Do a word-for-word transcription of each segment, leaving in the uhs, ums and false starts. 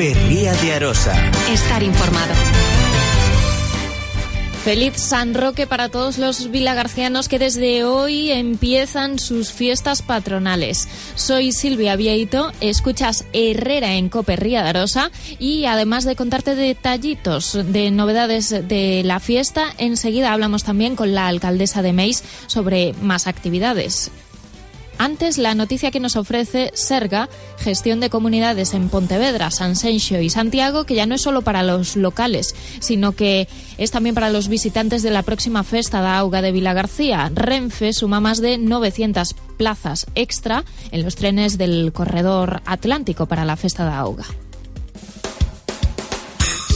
Cope Ría de Arosa. Estar informado. Feliz San Roque para todos los vilagarcianos que desde hoy empiezan sus fiestas patronales. Soy Silvia Vieito, escuchas Herrera en Cope Ría de Arosa y además de contarte detallitos de novedades de la fiesta, enseguida hablamos también con la alcaldesa de Meis sobre más actividades. Antes, la noticia que nos ofrece Serga, gestión de comunidades en Pontevedra, Sanxenxo y Santiago, que ya no es solo para los locales, sino que es también para los visitantes de la próxima Festa da Auga de Vilagarcía. Renfe suma más de novecientas plazas extra en los trenes del corredor atlántico para la Festa da Auga.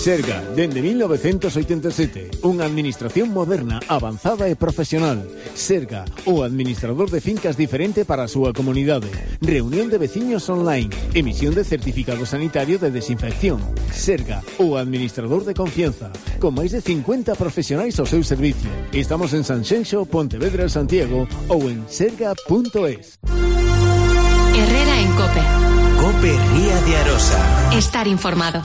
Serga, dende mil novecientos oitenta e sete, unha administración moderna, avanzada e profesional. Serga, o administrador de fincas diferente para a súa comunidade. Reunión de veciños online, emisión de certificado sanitario de desinfección. Serga, o administrador de confianza, con máis de cincuenta profesionais ao seu servicio. Estamos en Sanxenxo, Pontevedra, Santiago ou en serga punto es. Herrera en Cope. Cope Ría de Arosa. Estar informado.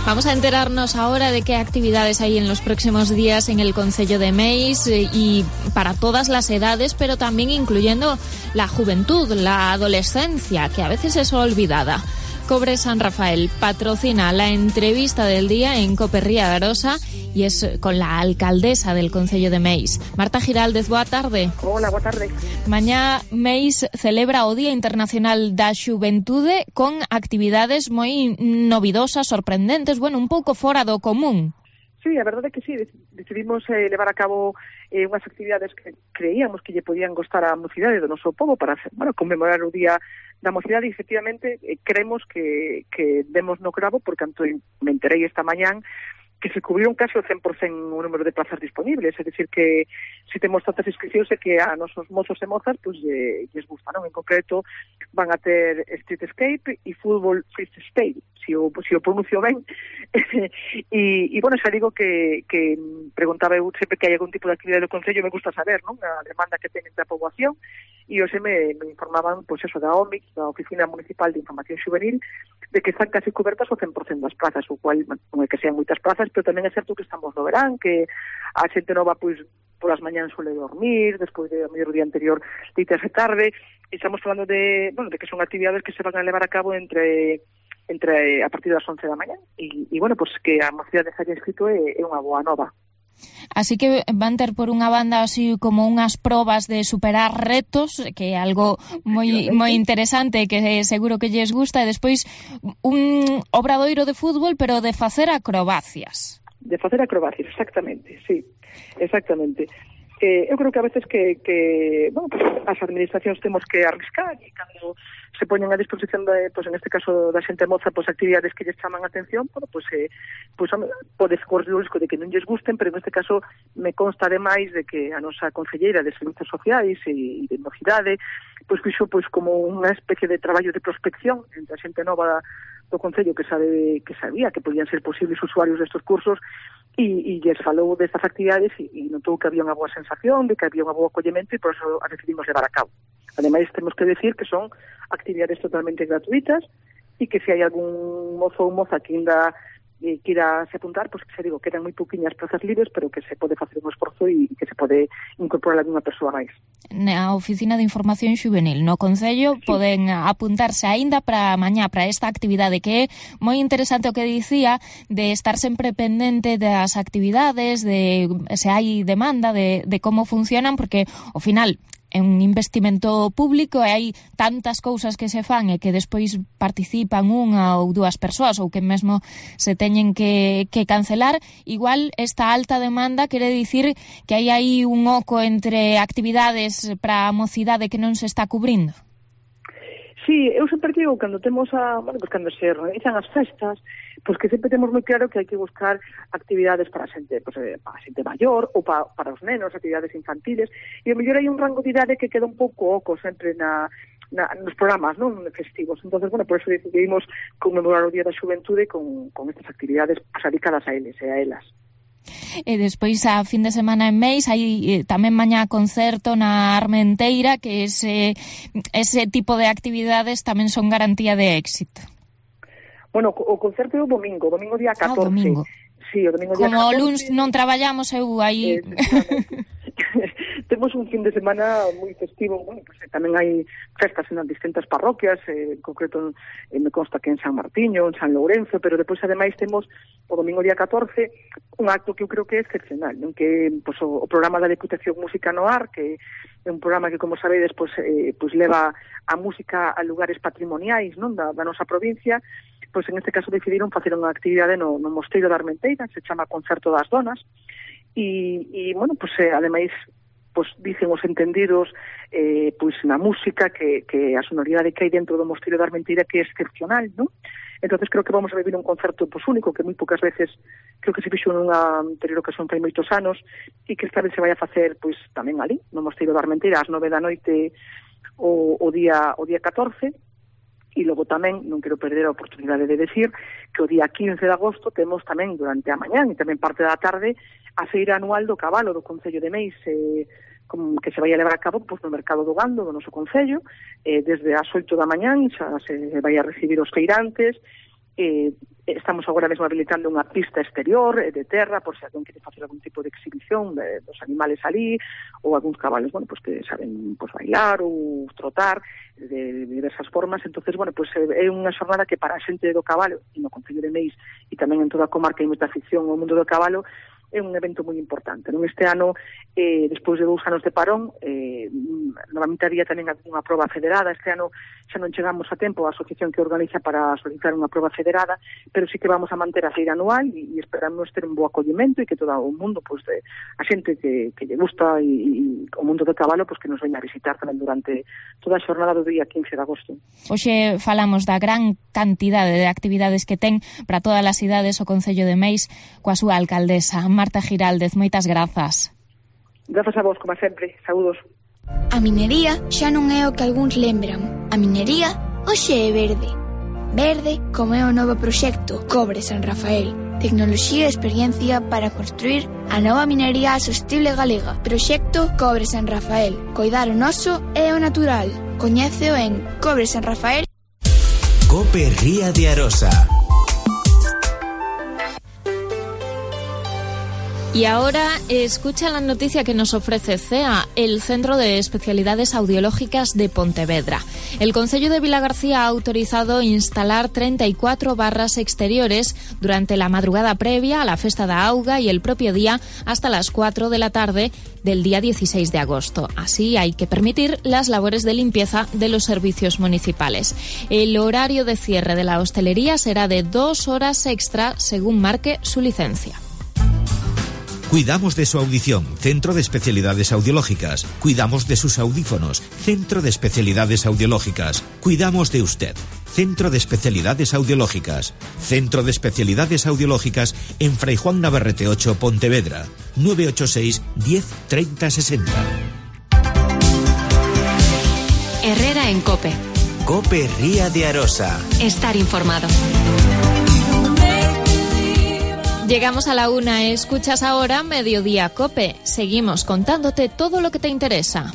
Vamos a enterarnos ahora de qué actividades hay en los próximos días en el concello de Meis y para todas las edades, pero también incluyendo la juventud, la adolescencia, que a veces es olvidada. Cobre San Rafael patrocina la entrevista del día en Cope Ría de Arosa y es con la alcaldesa del concello de Meis. Marta Giraldez, boa tarde. Hola, boa tarde. Mañá Meis celebra o Día Internacional da Xuventude con actividades moi novidosas, sorprendentes, bueno, un pouco fora do común. Sí, a verdade é que sí, decidimos eh, levar a cabo eh, unhas actividades que creíamos que lle podían gostar á mocidade do noso pobo para, bueno, conmemorar o Día da Mocidade e, efectivamente, eh, creemos que, que demos no cravo, porque tanto me enterei esta mañán que se cubriron casi o cen por cento o número de plazas disponibles, é dicir que se temos tantas inscripcións é que a nosos mozos e mozas pues, eh, lles gustaron. En concreto van a ter Street Escape e Fútbol Freestyle, si o, si o pronuncio ben. e, e, bueno, xa digo que, que preguntaba eu sempre que hai algún tipo de actividade do Concello, me gusta saber, non? A demanda que ten da poboación, e hoxe me, me informaban, pois pues, eso, da O M I C, da Oficina Municipal de Información Juvenil, de que están casi cobertas o cen por cento das plazas, o cual non é que sean moitas plazas, pero tamén é certo que estamos no verán, que a xente nova, pois, polas mañanas suele dormir, despois de a mellor día anterior deitarse tarde, e estamos falando de, bueno, de que son actividades que se van a levar a cabo entre entre a partir das once da mañá, e, e bueno, pois que a mocidade se haya inscrito é, é unha boa nova. Así que van ter por unha banda así como unhas probas de superar retos, que é algo moi moi interesante, que seguro que lles gusta, e despois un obradoiro de fútbol, pero de facer acrobacias. De facer acrobacias, exactamente, sí, exactamente. Eh, eu creo que a veces que, que bueno, pues, as administracións temos que arriscar e cando se poñen a disposición de, pues, en este caso da xente moza, pues, actividades que lles chaman a atención, bueno, pues, eh, pues, pode correr o risco de que non lles gusten, pero en este caso me consta ademais de que a nosa concelleira de Servicios Sociais e de Mocidade pues, fixo pues, como unha especie de traballo de prospección entre a xente nova do Concello que sabe que sabía que podían ser posibles usuarios destes cursos e, e lles falou destas actividades e, e notou que había unha boa sensación, de que había unha boa acollemento e por eso a decidimos levar a cabo. Ademais, temos que decir que son actividades totalmente gratuitas e que se hai algún mozo ou moza que ainda eh, quira se apuntar, pois pues, que se digo, quedan moi pouquiñas plazas libres, pero que se pode facer un esforzo e que se pode incorporar algunha persoa máis. Na Oficina de Información Xuvenil, no Concello, sí, poden apuntarse aínda para mañá, para esta actividade, que é moi interesante o que dicía, de estar sempre pendente das actividades, de se hai demanda, de, de como funcionan, porque, ao final, é un investimento público e hai tantas cousas que se fan e que despois participan unha ou dúas persoas ou que mesmo se teñen que, que cancelar. Igual esta alta demanda quere dicir que hai aí un oco entre actividades para a mocidade que non se está cubrindo. Sí, eu sempre digo, cando temos a, bueno, pues cando se organizan as festas, pois pues que sempre temos moi claro que hai que buscar actividades para a xente, pues, para a xente maior ou para, para os nenos, actividades infantiles, e a mellor hai un rango de idade que queda un pouco oco sempre na, na, nos programas, non, festivos. Entonces, bueno, por eso decidimos conmemorar o Día da Xuventude con, con estas actividades pues, dedicadas a eles e a elas. E despois a fin de semana en Meis hai eh, tamén mañá concerto na Armenteira, que ese, ese tipo de actividades tamén son garantía de éxito. Bueno, o concerto é o domingo, domingo día catorce. Ah, domingo. Sí, o domingo día Como catorce. o luns non traballamos, eu aí... Eh, temos un fin de semana moi festivo, bueno, pues, eh, tamén hai festas en as distintas parroquias, eh, en concreto eh, me consta que en San Martiño, en San Lourenzo, pero depois ademais temos o domingo día catorce un acto que eu creo que é excepcional, non? Que pues, o, o programa da Deputación Música no Ar, que é un programa que, como sabedes, pues, eh, pues, leva a música a lugares patrimoniais, non? Da, da nosa provincia. Pois en este caso decidiron facer unha actividade no, no Mosteiro da Armenteira, se chama Concerto das Donas, e, e bueno, pois eh, ademais, pois dicen os entendidos eh, pois na música que, que a sonoridade que hai dentro do Mosteiro da Armenteira que é excepcional, non? Entonces creo que vamos a vivir un concerto pois único, que moi poucas veces creo que se fixo nunha anterior ocasión fai moitos anos, e que esta vez se vai a facer pois tamén ali, no Mosteiro da Armenteira, ás nove da noite o, o día o día catorce. E logo tamén, non quero perder a oportunidade de decir que o día quince de agosto temos tamén durante a mañán e tamén parte da tarde a feira anual do cabalo do Concello de Meis, eh, como que se vai a levar a cabo pois, no Mercado do Gando do noso Concello, eh, desde as oito da mañán xa se vai a recibir os feirantes. Eh, estamos agora mesmo habilitando unha pista exterior eh, de terra, por se alguén quere facer algún tipo de exhibición de, dos animales ali, ou algúns cabalos, bueno, pues que saben pues, bailar ou trotar de, de diversas formas. Entonces, bueno, pues é unha xornada que para a xente do cabalo, e no Concello de Meis, e tamén en toda a comarca hai moita afición ao mundo do cabalo, é un evento moi importante. Non? Este ano, eh, despois de dous anos de parón, eh, novamente había tamén unha proba federada. Este ano xa non chegamos a tempo a asociación que organiza para solicitar unha proba federada, pero sí que vamos a manter a feira anual e, e esperamos ter un bo acollimento e que todo o mundo, pues, de, a xente que, que lle gusta e, e o mundo do cabalo, pues, que nos veña a visitar tamén durante toda a xornada do día quince de agosto. Hoxe falamos da gran cantidade de actividades que ten para todas as cidades o Concello de Meis coa súa alcaldesa, Marta Giraldez. Moitas grazas. Grazas a vos, como sempre. Saúdos. A minería xa non é o que algúns lembran. A minería hoxe é verde. Verde como é o novo proxecto Cobre San Rafael. Tecnoloxía e experiencia para construir a nova minería sostible galega. Proxecto Cobre San Rafael. Coidar o noso e o natural. Coñéceo en Cobre San Rafael. Cope Ría de Arosa. Y ahora escucha la noticia que nos ofrece C E A, el Centro de Especialidades Audiológicas de Pontevedra. El Concello de Vilagarcía ha autorizado instalar treinta y cuatro barras exteriores durante la madrugada previa a la Festa da Auga y el propio día hasta las cuatro de la tarde del día dieciséis de agosto. Así hay que permitir las labores de limpieza de los servicios municipales. El horario de cierre de la hostelería será de dos horas extra según marque su licencia. Cuidamos de su audición, Centro de Especialidades Audiológicas. Cuidamos de sus audífonos, Centro de Especialidades Audiológicas. Cuidamos de usted, Centro de Especialidades Audiológicas. Centro de Especialidades Audiológicas en Fray Juan Navarrete ocho, Pontevedra. nueve ocho seis, diez, treinta, sesenta. Herrera en COPE. Cope Ría de Arosa. Estar informado. Llegamos a la una, escuchas ahora Mediodía COPE. Seguimos contándote todo lo que te interesa.